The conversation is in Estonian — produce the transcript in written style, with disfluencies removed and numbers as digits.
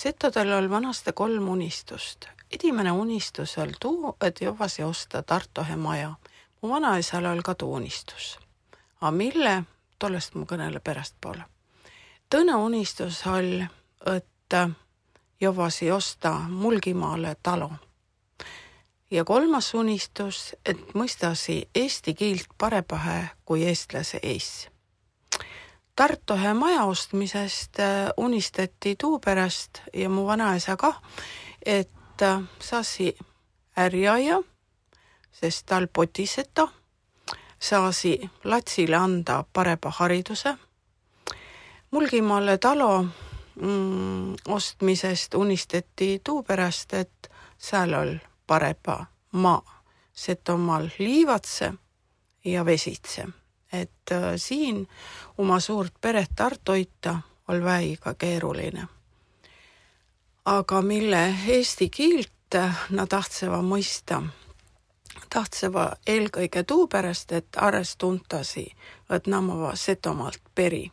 Setodel oli vanasti 3 unistust. Edimene unistus oli tuu, et jovasi osta Tartohe maja. Mu vanaisal oli ka tuu unistus. A mille? Tollest mu kõnele pärast poole. Tõne unistus oli, et jovasi osta Mulgimaale talo. Ja 3. unistus, et mõistasi eesti kiilt parepahe kui eestlase ees. Tartohe maja ostmisest unistati tuu pärast ja mu vanaisa kah, et saasi ärjaja, sest tal potiseta, saasi latsile anda pareba hariduse. Mulgimaale talo ostmisest unistati tuu pärast, et seal oli pareba maa, Setomaal liivatse ja vesitse. Et siin oma suurt peret tartoita oli väiga keeruline. Aga mille eesti kiilt na tahtseva mõista, tahtseva eelkõige tuu pärast, et ares tuntasi, et namava Setomaalt peri.